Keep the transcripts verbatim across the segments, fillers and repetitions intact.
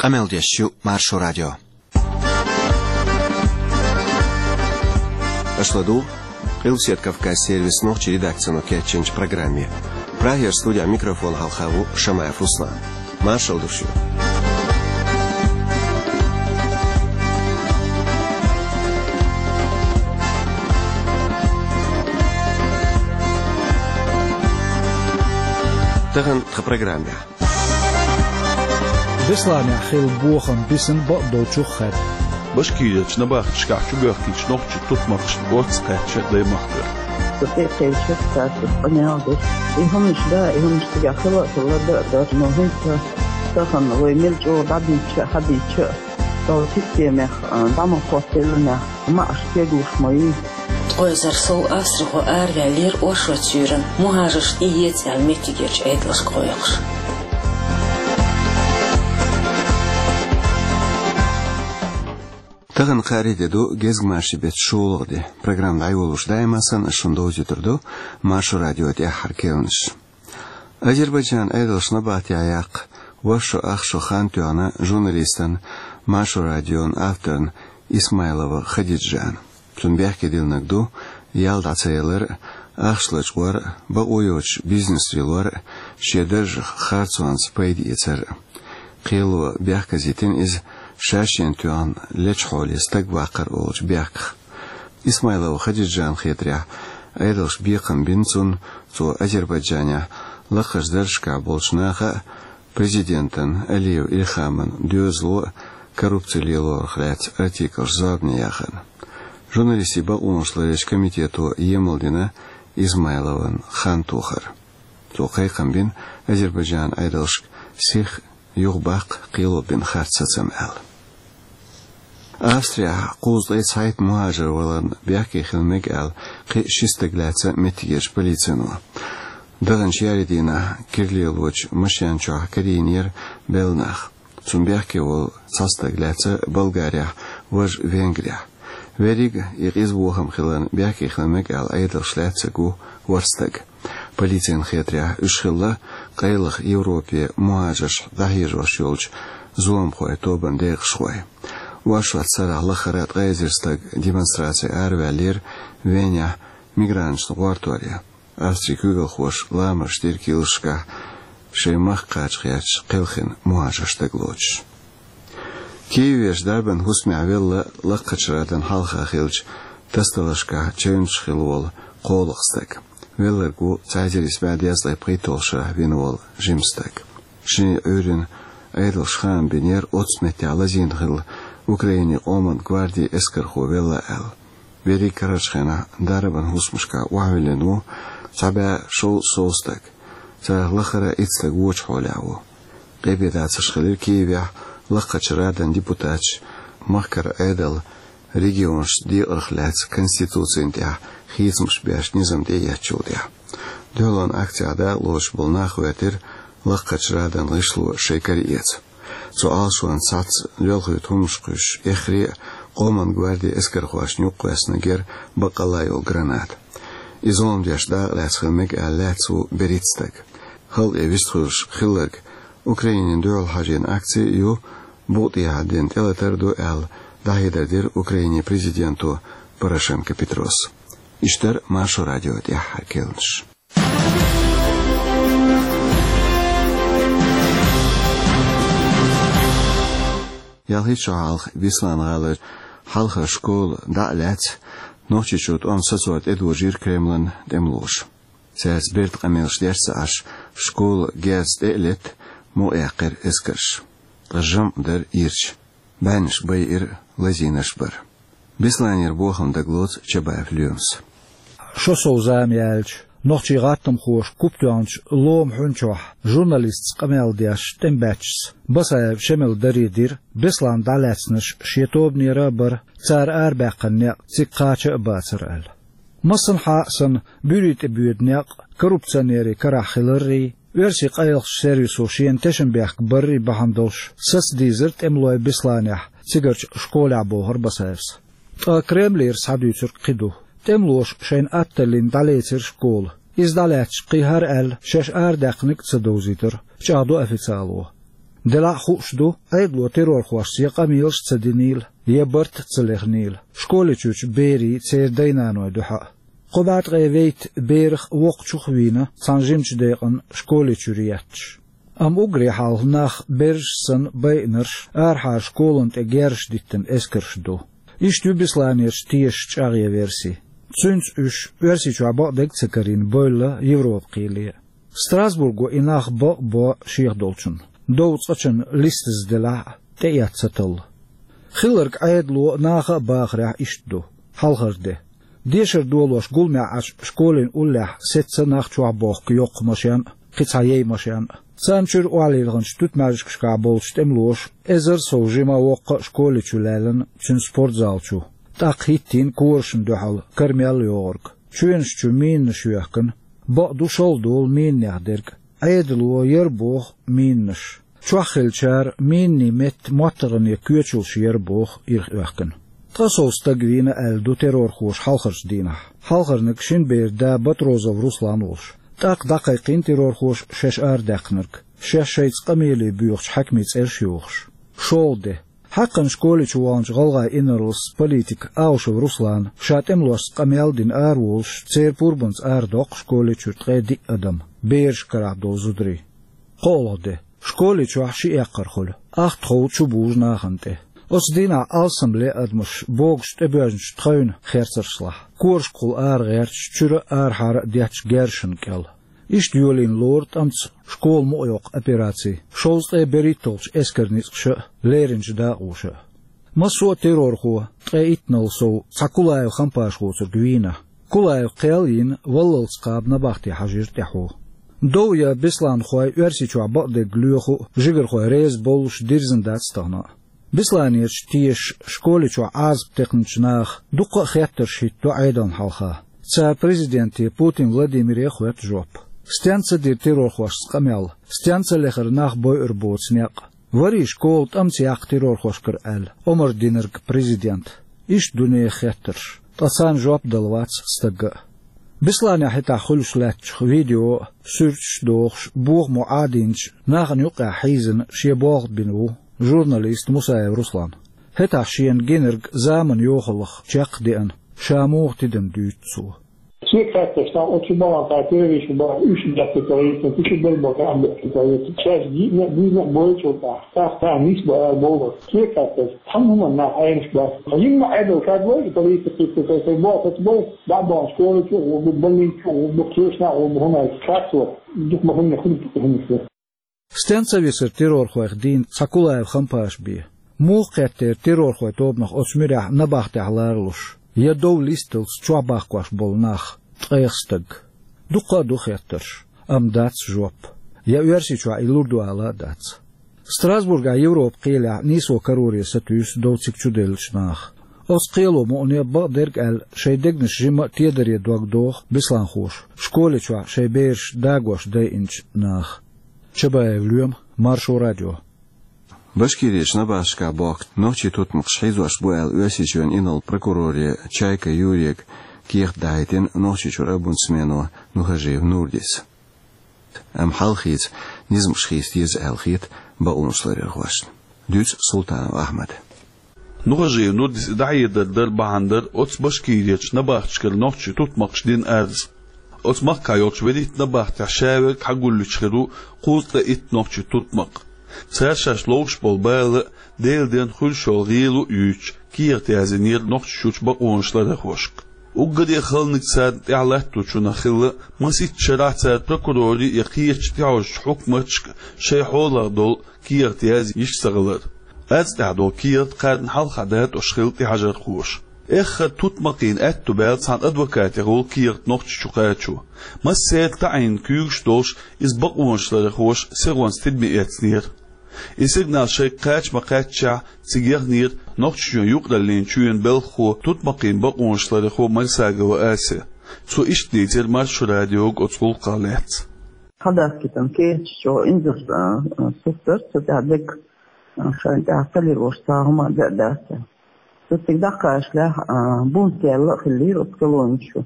Къамел деш ю Маршо радио. Аша ладугӀу Къилбаседа Кавказан сервисан нохчийн редакцино кечйинчу программе. Прагера студехь микрофон хьалха ву Шамаев Руслан. Маршалла ду шуьга. Тахана тхан программехь. Бесланехь хилла бохам бисина бакъдолчух хаьдда. Башкирерчу набахташкахь чубоьхкинчу нохчийн тутмакхашна орца кхаьчна Даймахкара. Со тӀекхечира, цаьрца къамел дира. И хӀуманаш да, и хӀуманаш цигахь хила а хилла, дан а дара, но хӀинца тахана вай мел чӀогӀа дӀадийча а, хьадийча а, тхо системех, а, дӀа ма хӀоттийла нах, маӀаш кеглуш ма йий. Ткъа эзар сов австрихо араваьллера оршот суьйранна, мухӀажарш тӀеэца аьлла меттигерчу Ӏедалшка гӀойкхуш. Тахана кхаарин де ду, гезгмашин беттан шолгӀа де. Программа дӀайолош даима санна, ас шуна довзуьйтур ду Маршо радион тӀаьххьара керланаш. Азербайджанан Ӏедалша набахтехь яккха ворхӀ шо ах шо хан тоьхна журналистана, Маршо радион авторна Исмайлова Хадиджана. Цунна бехке диллинарг ду ял дӀа ца ялар а, ахча лачкъор а, бакъо йоцуш бизнес лелор а, шен даржах харцонца пайда эцар а. Кхело бехказа йитина иза шаьш шена тоьхна лечу хьоле стаг ваккхар олучу бехках. Исмайлова Хадиджанна хетарехь, Ӏедалша бекхам бина цунна, цо Азербайджанехь лакхарчу даржашкахь болчу наха а, президентан Алиев Ильхаман доьзало а коррупци лелорах лаьцна артиклаш зорбане яхарна. Журналистийн бакъонаш ларъечу комитето емал дина Исмайлован хан тохар. Цо кхайкхам бина Азербайджанан Ӏедалшка сих юхабаккха, кхело бина харц сацам аьлла. Австрехь кхузткъе цхьайтта мухӀажар валарна бехке хила мега аьлла, кхин а ши стаг лаьцна меттигерчу полицино. Даханчу ярийн дийнахь кира лелочу машен чохь карийнера белла нах. Цунна бехке волу цхьа стаг лаьцна Болгарехь, важа Венгрехь. Верриг а и къиза бохам хиларна бехке хила мега аьлла Ӏедалша лаьцнарг ву ворхӀ стаг. Полицина хетарехь, уьш хилла къайлаха Европе мухӀажарш дӀахьежош йолчу зуламхойн тобанан декъашхой. Оршот сарахь лахара ткъе эзар стаг демонстраце араваьллера Венехь мигранташна гӀортор ян. Австрин куьйгалхоша ламаз дира килсашкахь шайн махка кхача гӀерташ кхелхина мухӀажарш дагалоцуш. Киевера дарбан хӀусамехь велла Лакхарчу Радан хьалха хиллачу тасадаларшкахь чевнаш хилла волу кхоалгӀа стаг. Велларг ву цхьа эзар исс бӀе дезткъе пхийтталгӀачу шарахь вина волу жима стаг. Шен Ӏуьйранна Ӏедалша хаам бинера оццу меттехь лазийна хилла Украинин къоман гвардин эскархо велла аьлла. Верриг карарчу хенахь дарбан хӀусамашкахь охьавиллина ву цхьа бӀе шовзткъа сов стаг. Царах лахара итт стаг вочу хьолехь ву. Къепедацарш хилира Киевехь Лакхарчу Радан депутаташ махкара Ӏедал регионашца декъарх лаьцна конституцина тӀехь хийцамаш беш низам тӀеэцначул тӀаьхьа. Дуьхьалонан акцехь дакъалоцуш болу нах гӀоьртира Лакхарчу Радан гӀишло шайн кара эца. Цу Ӏалашонца схьацца лоьлхуьйту хӀуманаш кхуьссуш эххар а къоман гвардин эскархошна юккъе кхоьссинарг яра баккъалла йолу граната. И зулам деш дакъалаьцна хила мега аьлла лаьцна ву берхӀитта стаг. Халкъе вистхуьлуш хилларг Украинина дуьхьал хьажийна акци а ю, букъа тӀехьа дина тӀелатар а ду аьлла, дӀахьедар дира Украинин президенто Порошенко Петрос. Иштта дара Маршо радион тӀаьххьара керланаш. Ялхитта шо хьалха Беслан-гӀалара хьалхара школа дӀа а лаьцна, Нохчийчу тӀом сацор тӀедожийра Кремлан тӀемалоша. Цаьрца берда къамелаш деш ца Ӏаш, школа герз тӀе а летта, мукъаяьккхира эскарша. Ткъа жамӀ дара ирча. БӀеннаш байира, лазийнарш бара. Бесланера бохам дагалоцу Чабаев Лоьмас. Шо сов зама яьлча, нохчийн гӀаттамхоша куп тоьхначу ломан хьуьн чохь журналистца къамел деш тӀемабаьччаьрца Басаев Шемала даре дира, Беслан дӀалаьцнарш шен тобанера а бара, цара арабаьккхина некъ цига кхача а бацара аьлла. Массанхьа а санна, буьйрий тӀе боьду некъ коррупционерийн карахь хиларрий, оьрсийн къайлахчу сервисо шена тешнабехк баррий бахьана долуш саца дийзира тӀемалой Бесланехь, цигарчу школехь, бохура Басаевс. Ткъа Кремлера схьадуьйцург кхин ду. ТӀемалоша шайна атталлина дӀалецира школа. Иза дӀалаьцча, кхин хӀара аьлла, шаьш арадаьккхинарг а ца довзийтира, чӀагӀдо официало. Делахь а хууш ду, Ӏедало террорхошца я къамелаш а ца динийла, я барт а ца лехнийла, школе чуьрчу берийн, церан дай-наной дуьхьа а. Кхо бӀе ткъе вейтта берах а, воккхачух а вийна, цхьана жимачу декъана школе чуьра етташ. Амма уггаре хьалха нах, бераш санна, байинарш арахьара школана тӀе герзаш диттина эскарш ду. Иштта ю Бесланерчу тешаш чӀагӀъян верси. Цуьнца уьш, Оьрсийчохь бакъдерг а ца карийна, бевлла Европа кхеле. Страсбурго и нах бакъ а бо шех долчунна. Дов цкъачунна листаза делахь а, тӀеэцна ца талла. Хилларг Ӏедало а, наха а бахарехь иштта ду. Хьалхара де. Дешар долош гуламехь Ӏаш, школин уллехь сецца нах чохь бохку йоккха машен а, кхин цхьа яй машен а. Царна чуьра охьалилхинчу туьтмаьжигашкахь болчу тӀемалоша эзар сов жима воккха а школе чу лаьллина, цуьнан спортзал чу. ТӀаккха хӀиттийна корашна дуьхьал кара мел йогӀург. Чоьнаш чу минанаш йоьхкина. Бакъду, шалха долу минанех дерг. Ӏедало яра боху минанаш. Чохь хиллачара минанийн метта моттаргӀане коьчалш яра боху ирх оьхкина. Ткъа сов стаг вийна аьлла ду террорхоша хьалхарчу дийнахь. Хьалхарниг шина беран да Батрозов Руслан волуш. ТӀаккха дӀакхайкхийна террорхоша шаьш арадаьккхинарг, шаьш шайца къамеле боьхучу хьаькамийн цӀераш а йохуш. ШолгӀа де. Хьаькхна школе чу ваханчу гӀалгӀайн инарлас политика Аушев Руслана ша тӀемалошца къамел а дина араволуш, церан пурбанца арадоккху школе чуьра ткъе диъ адам, бераш карахь долу зударий. КхоалгӀа де. Школе чохь ши эккхар хуьлу, ахтахов чубужу нахана тӀе. Оцу дийнахь алсамле адамаш богуш тӀебоьжначу тхевна херцаршлахь, корашкахула ара гӀерташ, чуьра а, арахьара а детташ герзашна кӀел. Иштта йолийна лору тӀамца школа мукъайоккху операци, шовзткъе берхӀитталгӀачу эскаран ницкъаша а, леринчу дакъоша а. Массо а террорхо, ткъе иттанал сов, цхьа Кулаев Хампаш воцург вийна. Кулаев кхел а йина, валлалц кхаба набахте хьажийра тӀаьхьо. Дов ян бесланхой Оьрсийчохь бакъдерг лоьху а, жигархой реза боллуш дирзина дац тахана а. Бесланерчу тешаш школе чохь Ӏазап текхначу наха дуккха а хеттарш хӀиттадо Ӏедална хьалха. Цара президенте Путин Владимире а хоьтту жоп. Стенца дира террорхошца къамел, стенца лехара нах бойур боцу некъ? Варий школа тӀамца яккха террорхошкара аьлла, омра динарг президента? Иштта ду нехан хеттарш, ткъа царна жоп дала вац стагга а. Бесланехь хӀетахь хуьлуш лаьттачух видео а, суьрташ а дохуш, бохамо Ӏадийначу нахана юккъехь хьийзина шен болх бина ву журналист Мусаев Руслан. ХӀетахь шена гинарг заманан йохаллах чекх а деана, ша муха тидам дуьйцу цо. Шен кхетташ, тхан оцу балан тӀехь террористаш бара, уьш бехке ца вайта, кхин шу бер бара, ам бехке ца вайта. Шаьш гиъна а, буьзна а бойчул тӀехь, тӀаккха тхан нисбан ара бовлар. Шен кхетташ, цхьана хӀуманна нах Ӏенаш бац. Жимма Ӏедал кад вай, политика кхетта, тхайн боху, бой, баьбан школа чу а гӀо бу, больница чу а гӀо бу, кхечу нах а гӀо бу, хӀума кхаьчо, дукха ма хӀунна хуьлу, дукха хӀума хир. Стенца висар террорхойх дийна цхьа Кулаев Хампаш бен? Муха кхеттера террорхойн тобанах оцу муьрехь набахтехь ларалуш, я дов листалц чохь бахкош болу нах, ткъех стаг? Дуккха а ду хеттарш, амма дац жоп. Я Оьрсийчохь и лур ду ала а дац. Страсбургехь Европа кхелехь нийсо кароре сатуьйсу дов цига чуделлачу наха. Оцу кхело мукъане бакъдерг аьлла, шайн дегнаш жимма а тедаре дог доху бесланхоша, школе чохь шайн бераш дагош дайинчу наха. Чабаев Лоьма, Маршо радио. Башкирерчу набахташкахь бохку нохчийн тутмакхаш хьийзош бу аьлла, Оьрсийчоьнан инарла прокуроре Чайка Юрийга кехат дахьийтина Нохчийчуьра омбудсмено Нухажиев Нурдис. Амма хьал хийца, низамаш хийца деза аьлла хета бакъонашларъярхошна. Дуьйцу Султанов Ахьмада. Нухажиев Нурдис и дӀахьедар дар бахьана дара оцу Башкирерчу набахташкара нохчийн тутмакхаша дина арз. Оцу махкахь йолчу велитта набахтехь шаверг хьагуллуьйтуш хир ву кхузткъе итт нохчийн тутмакх. Цара шаьш ловш болу бала а, Делан денна хуьлуш йолу гӀийла а юьйцуш, кехат яздинера Нохчийчуьрчу бакъонашларъярхошка. Уггаре а халаниг царна тӀехь латточунах хилла масийтта шарахь цара прокурорийн я кхечу тӀехьожучу хьукматашка шайн хьолах долу кехат язъеш ца хилар. Арз тӀехь долу кехат кхарна хьалха датӀош хилла тӀехьажархоша. Эххар тутмакхийн аьтту баьлла цхьана адвокатех волу кехат Нохчийчу кхачо. Массеран таӀийна куьйгаш долуш, иза бакъонашларъярхоша сихонца тидаме эцнера. И сигнал шайга кхача ма-кхаьччехь, цига яхнера Нохчийчоьнан юкъараллин чоьнан белхахо, тутмакхийн бакъонашларъярхо Марсагова Ася. Цо иштта дийцира Маршо радиога оцу гӀуллакхах лаьцна. Хадас китан кехаташ чӀогӀа инзарш, а, а, сустар, цу тӀехь дерг, а, шайна тӀехь ца лелош цхьа хӀума а дац. Цу цига дӀакхачалехь, а, бунт яьлла а хиллера оцу колони чу.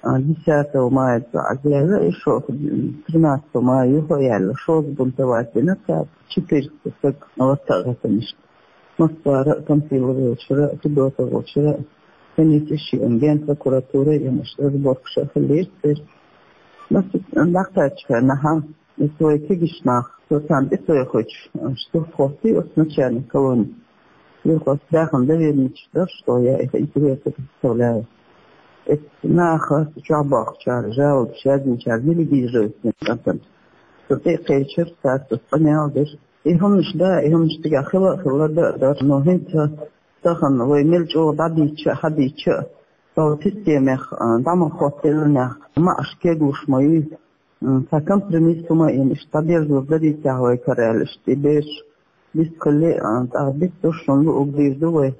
А, десятого мая цо Ӏазъяьлла, и шо, тринадцатого мая юха а яьлла, шозза бунтовать дина цара, четыреста саг латта а гӀаттанаш. Москвара а, Панфиловичара а, Федотовичара а, комиссеш а, Генпрокуратура а, иштта разборкаш а хилира церан. Масса дӀакхаьчча хенахь, и цо вай кегийча наха, цо царна тӀе ца яхийтуш, а, штурхо хӀоттий оцу начальник колонии. Юха оцу дахана доверенность дара, что я их интересы представляю. Эцу наха, чохь бохучара, жалобаш яздинчара, делегировать дина кӀантана. Со тӀе а кхечира, цара соьца къамел дира. И хӀуманаш да, и хӀуманаш цигахь хила а хилла, да а дара, но хӀинца тахана вай мел чӀогӀа дӀадийча а, хьадийча а, тхо системех, а, дӀа ма хӀоттаелла нах, маӀаш кеглуш ма ю. М, цхьа компромисс хӀума а йина, иштта дӀадерзор дарий техьа вай кара аьлла, иштта и бераш дистхили, а, тӀаккха дистуш шуна луъург дийр ду вай.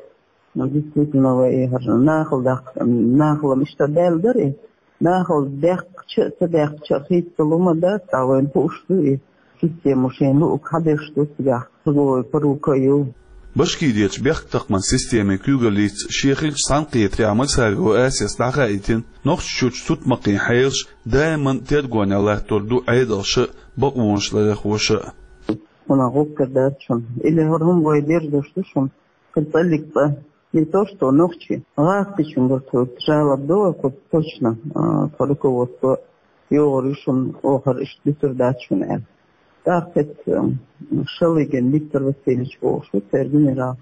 Ну, действительно, вай и хӀара нахала даккха, нахала-м иштта даьлла дара и. Нахала даьккхича а, ца даьккхича а хийцалума дац, ткъа вайна хууш ду и. Система шайна луъург хьадеш ду цигахь, цуьнга вай парука а ю. Башкирерчу бехктакхаман системин куьйгаллица шен хиллачу цхьаьнакхетарехь Марсагова Асета дӀахаийтина, Нохчийчуьрчу тутмакхийн хьелаш даиман тергонехь латтор ду Ӏедалша а, бакъонаш ларъярхоша а. ХӀуна гӀуллакх дац шуна. Или хӀара хӀума вай дерзош ду шуна. Кхин цӀаллиг цӀа. Не то что нохчий, гӀазкхичуьнгара тхоьга жалоб до, кху точно, а, тхо руководство йогӀур ю шуна, оха хӀара иштта дуьтур дац шуна аьлла. ТӀаккха кхетта, м, Шалыгин Виктор Васильевич бохуш ву церан генерал.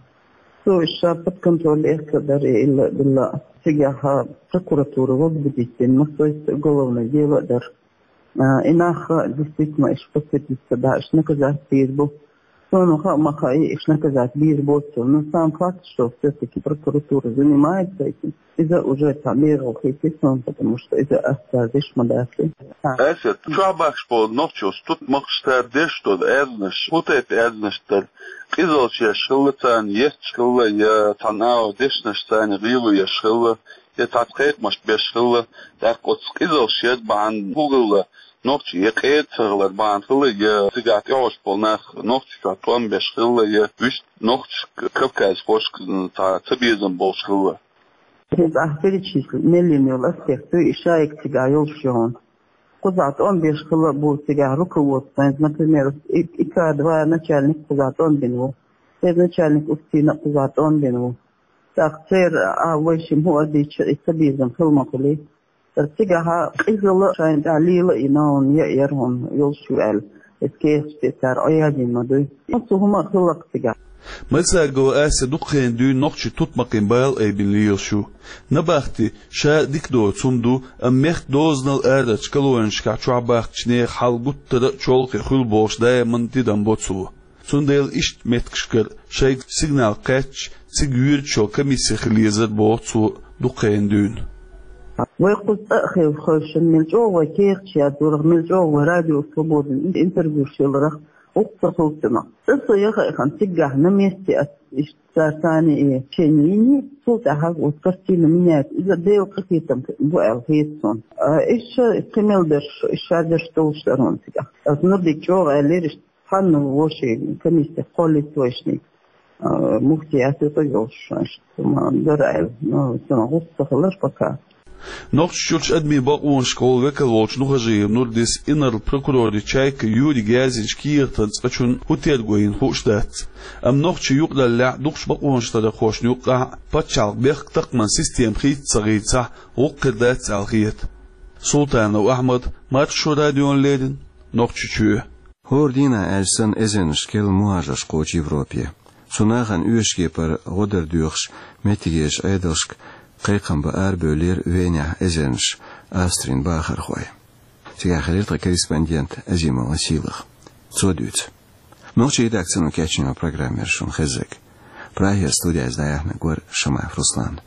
Цо иштта ша под контроль эцна дара и илла а, билла а. Цигахь прокуратура возбудить дина, массо а уголовное дело а дара. А, и нах, действительно, иштта подсудиться, да, иштта наказать бийр бу. Суна хаьа ма хаьа, иштта наказать бийр боцу. Но сам факт, что всё-таки прокуратура занимается этим, иза уже цхьа бегӀал хийци суна, потому что иза ас цара деш ма дац. А. Асет, чохь бахкаш болу нохчий оцу тутмакхаш, цара деш долу аьрзнаш, хӀун тайпа аьрзнаш дара? Къизаллаш еш хилла царна, етташ хилла, я цхьана агӀор дешнаш царна гӀийла еш хилла, я цхьацца кхайкхамаш беш хилла, тӀаккха оцу къизаллаш яр бахьана хӀун хилла, нохчий я къера ца хилар бахьана хилла, я цигахь тӀехьуш болу нах Нохчийчохь тӀом беш хилла, я вуьшта нохчашка, кавказхошка цхьа цабезам болуш хилла. Хьуна ахь перечислить мел йина йолу аспект ду, и шайга цигахь йолуш ю хьуна. Кхузахь тӀом беш хилла а бу цигахь руководство, например, и, и К два начальник кхузахь тӀом бина ву, и начальник УФСИН-а кхузахь тӀом бина ву. ТӀаккха церан а вайшимма хӀун а дийцича, и цабезам хила ма хуьлий. Цигахь къизалла шайна тӀехь лела а йина хьуна, яа яра хьуна йолуш ю аьлла, эцу кехаташ тӀе цара Ӏоядийна ма дуй. Цу хӀума а хилла-кх цигахь. Марсагова Асет дукха хенахь дуьйна нохчийн тутмакхийн бала айбина лелаш ю. Набахти ша дика доцу хӀума ду, амма мехкан дозанал арарчу колонешкахь чохь бахкачу нехан хьал гуттара а чолхе хуьлу бохуш даиман тидам бо цо. Цундела иштта меттигашкара шайга сигнал кхаьчча, цига юьрачу комисси хила езара боху цо дукха хенахь дуьйна. Вай кхуза цӀа а хевшина, мел чӀогӀа вай кехаташ яздорах, мел чӀогӀа вай Радио Свободин интервьюш еларах, гӀуллакх ца хуьлу цунах. Цкъа со яха а яхана, цигахь на месте ас иштта цара царна и чен йиний, цул тӀаьхьа вот картина меняется. Иза Делан къинхетам бу аьлла хета суна. А, иштта кхин мел берш, иштта шадерш долуш дара хьуна цигахь. Ас Нурдига чӀогӀа аьллера иштта. Цхьанна вовшийн комиссех кхоллаелла вайшний, а, муфтий Асета йолуш, ма дара аьлла. Ну, цунах гӀуллакх ца хилира пока. Нохчийчуьрчу адамийн бакъонашкахула векал волчу Нухажиев Нурдис инарла прокуроран чайка Юрига яздинчу кехатан цӀа чунна хӀун терго йина хууш дац. Амма нохчийн юкъараллехь дукхачу бакъонашларъярхошна юккъехь а пачхьалкхан бехктакхаман система хийца ца хийцахь, гӀуллакх хир дац аьлла хета. Султанов Ахьмад, Маршо радиона леррина, Нохчийчоь. ХӀора дийнахь аьлча санна эзарнашкахь мухӀажарш кхочу Европе. Цу нахана оьшуш кепара гӀо дар доьхуш меттигерчу Ӏедалшка кхайкхам бан арабевллера Венехь эзарнаш Австрин бахархой. Цигахь хилира тхан корреспондент Азимова Сийлаха. Цо дуьйцу. Нохчийн редакцино кечйина программа яра шуна хезнарг. Прагера студехь иза дӀаяьхьнарг вара Шамаев Руслан.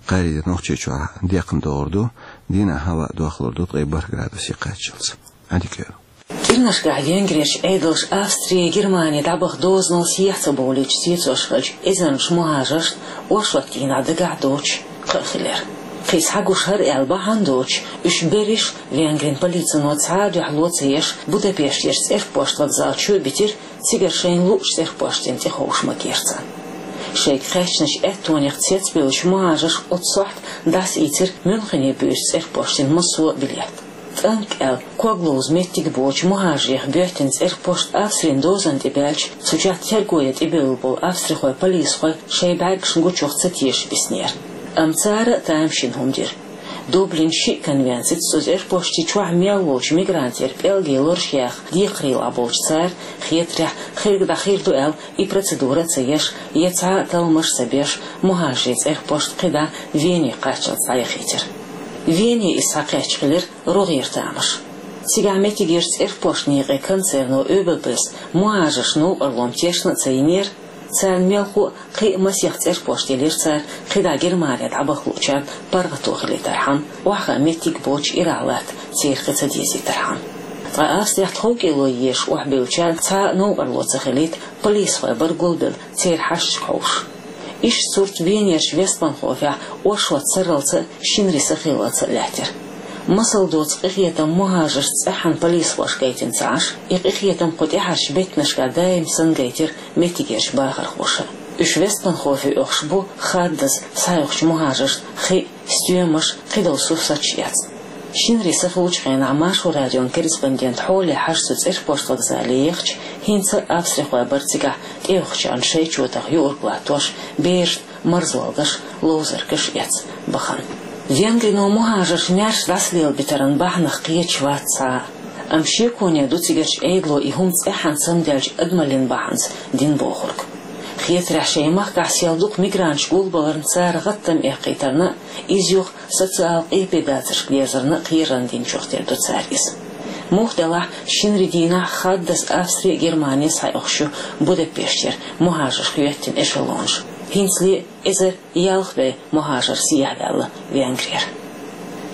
Кхаарин де Нохчийчохь декхна догӀур ду, дийнахь хӀаваъ дохлур ду ткъе бархӀ градусе кхаччалц. Ӏадика йойла. КӀирнашкахь Венгрерчу Ӏедалша Австри, Германи дӀабаха дозанал сехьа ца бовлийча, цецош хиллачу эзарнаш мухӀажаршна оршот дийнахь дагахь доцуш кхаъ хилира. Кхин схьагуш хӀара аьлла бахьана доцуш, уьш берриш а Венгрин полицино цхьа а дуьхьало ца еш, Будапештерчу цӀерпошт вокзал чу а битира, цигара шайна луучу цӀерпоштана тӀе ховша магийра царна. Шайга кхаьчначу аьттонех цецбевллачу мухӀажарша оццу сохьта дӀасаийцира Мюнхене буьйсу цӀерпоштан массо а билет. ТӀанкӀ аьлла, ког ловза меттиг боцучу мухӀажарех боьттина цӀерпошт Австрин дозанна тӀе баьлча, цу чохь терго ян тӀебевлла болу австрихой полисхой шайн бӀаьргашна гучух ца тешаш биснера. Амма цара а тамашийна хӀума дира. Дублин шиъ конвенцица цу цӀерпошти чохь мел волчу мигрантера пӀелгийн лораш яха декхарийлахь болчу цара, хетарехь, хирг дӀахир ду аьлла, и процедура а ца еш, я цхьа а талламаш а ца беш, мухӀажарийн цӀерпошт кхидӀа Вене кхаччалц дӀаяхийтира. Вене иза схьакхаьчча хилира рогӀера тамаш. Цигахь меттигерчу цӀерпоштан некъан концерно Ё Б Б-с мухӀажаршна новкъарло тешна а ца йинера, царна мелхо а кхин а масех цӀерпошт елира цара кхидӀа Германе дӀабаха луучарна паргӀато хилийтархьама, охьахаа меттиг боцуш ирахь латта церан кхин ца дезийтархьама. Ткъа Австрехь тховкӀело езаш охьабевллачарна цхьа а новкъарло ца хилийта, полисхой бара гулбелла церан хьашташка хьовсуш. Иштта сурт Венерчу Вестбанхофехь оршот сарралц а, шинарин сахиллалц а лаьттира. Масал доцу къинхетам мухӀажаршна цӀеххьана полисхоша гайтина ца Ӏаш, и къинхетам кху тӀаьхьарчу беттанашкахь даим санна гайтира меттигерчу бахархоша. Уьш Вестбанхофе оьхуш бу хаддаза схьаоьхучу мухӀажаршна хи а, стоьмаш а, кхидолу сурсаташ а эцна. Шинарин сахиллачу хенахь Маршо радион корреспондент Хьоле Хьажа цу цӀерпошт вокзале ехча, хӀинца а австрихой бара цигахь тӀеоьхучарна шайн чотах юург латтош, берашна марзолгаш, ловзаргаш эцна бахана. Венгрино мухӀажарш маьрша дӀасалелабитаран бахьанах кхеташ вац цхьа а. Амма шеконе ду цигарчу Ӏедало и хӀума цӀеххьана самадаьллачу адамаллин бахьанца дина бохург. Хетарехь, шайн махкахь сел дукха мигранташ гулбаларна цара гӀаттам эккхийтарна а, иза юха социал къепе дацаршка дерзарна а кхерарна динчух тера ду цара иза. Муха делахь, шинарин дийнахь хаддаза Австри а, Германи а схьаоьхуш ю Будапештера мухӀажарш хьоьттина эшелонаш. ХӀинцале эзар ялх бӀе мухӀажар сехьаваьлла Венгрера.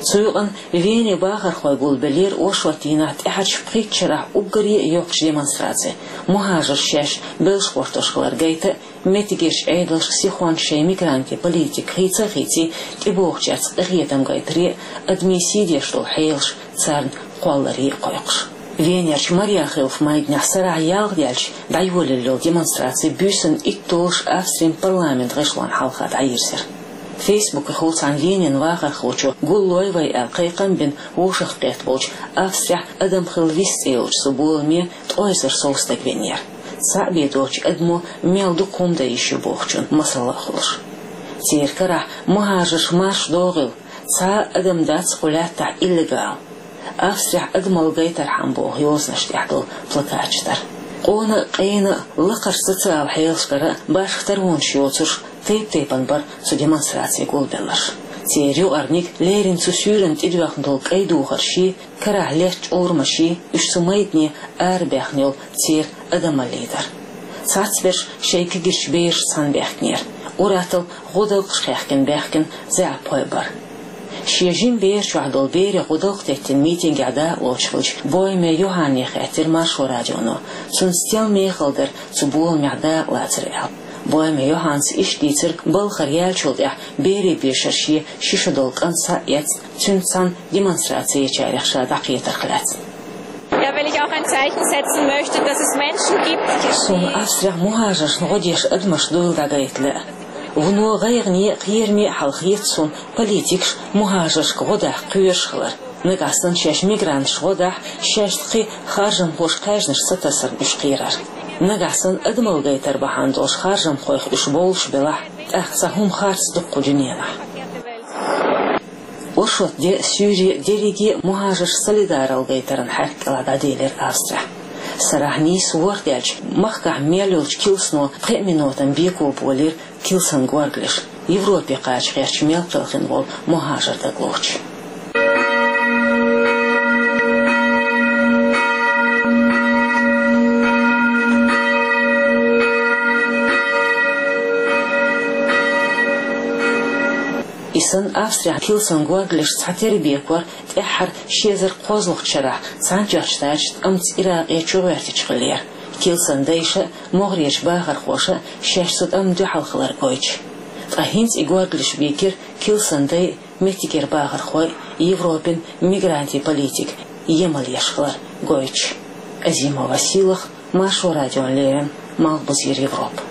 Цу юкъана Вене бахархой гулбеллера оршот дийнахь тӀаьхьарчу пхийтта шарахь уггаре а йоккхачу демонстраци, мухӀажарш шаьш белш гӀортош хилар гайта а, меттигерчу Ӏедалшка сихонца шайн мигрантийн политика хийца а хийций, тӀебогӀучаьрца къинхетам гайтаре а, адамийн сий деш долу хьелаш царна кхолларе а кхойкхуш. Венерчу Мариахилф майданехь сарахь ялх даьлча дӀайолаелла йолу демонстраци буьйсанна итт долуш Австрин парламент гӀишлонна хьалха дӀайирзира. Фейсбукехула цхьана Венин вахархочо «Гуллой вай» аьлла кхайкхам бина вовшахкхетта болчу «Австрехь адам хила вист» цӀе йолчу цу боламе ткъе эзар сов стаг веанера. Цхьаъ бен доцучу адамо мел дукха хӀума дан йиш ю бохучун масал а хуьлуш. Церан карахь мухӀажарш марша догӀийла, цхьа а адам дац кху лаьттахь иллегал. Австрехь адамалла гайтархьама боху йозанаш тӀехь долу плакаташ дара. Къона а, къена а, лакхарчу социал хьелашкара а башха таронаш йоцурш тайп-тайпана бара цу демонстраци гулбелларш. Церан юкъарниг леррина цу суьйранна тӀедоьхна долу кӀайн духаршший, карахь летта чӀурамашший, уьш цу майдане арабаьхна йолу церан адамаллий дара. Цхьацберш шайн кегийрхой берашца цхьаьна баьхкинера, уьттазза гӀодалкхаш кхаьхкина баьхкина заьӀапхой бара. Шен жима бер чохь долу берех гӀодалкх теттина митингехь дакъалоцуш хиллачу Бойме Йоханне хаьттира Маршо радионо, цунна стенна мехала дара цу боламехь дакъалацар аьлла. Бойме Йоханнес иштта дийцира балхара яьллачул тӀаьхьа берийн бешара шен ши шо долу кӀант схьа а эцна, цуьнца цхьаьна демонстраци ечарех ша дӀакхетарх лаьцна. Ja, weil ich auch ein Zeichen setzen möchte, dass es Menschen gibt, die Суна Австрехь мухӀажаршна гӀо деш адамаш дуйла дӀагайта лаьа. Вуно гӀайгӀане а, кхераме а хьал хета суна политикаш мухӀажаршка гӀо даха кхоьруш хилар. Нагахь санна шаьш мигранташна гӀо дахь, шаьшца кхин харжамхошка хаьржинарш ца тасарна уьш кхерар. Нагахь санна адамалла гайтар бахьана долуш харжамхойх уьш бовлуш белахь, тӀаккха цхьа хӀума харц ду кху дуьненахь. Оршот де а, суьйре а дерриге а мухӀажарш солидаралла гайтаран хьаьрк кӀелахь дӀаделира Австрехь. Сарахь нийса ворхӀ даьлча, махкахь мел йолчу килсано пхеа минотан беко болийра килсан горгалеш, Европе кхача гӀерташ мел кхелхина волу мухӀажар дагахь лоцуш. И санна Австрехь килсан горгалеш цхьатерра бекор тӀаьххьара ши эзар кхозлагӀчу шарахь Цхьаьнатоьхначу Штаташца, амма Иракъе чугӀоьртича хиллера, килсан дайша а, могӀарерчу бахархоша а шаьш цу тӀамна дуьхьал хилар гойтуш. Ткъа хӀинца и горгалеш бийкира килсан дай а, меттигера бахархой а Европин мигрантийн политика емал еш хилар гойтуш. Азимова Силах, Маршо радиона леррина, Малхбузера Европа.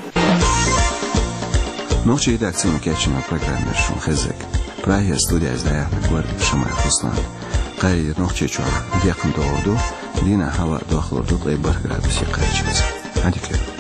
Нохчийн редакцино кечйина программа яр шун хеззиг. Прагера студиз дӀаяьхьнай Гордиев Шамаев Руслан. Кхайри Нохчийчохь декхар догӀур ду, дийнахь хӀаваъ дохлур ду ткъе бархӀ градусе кхаччалца. Хьан дика.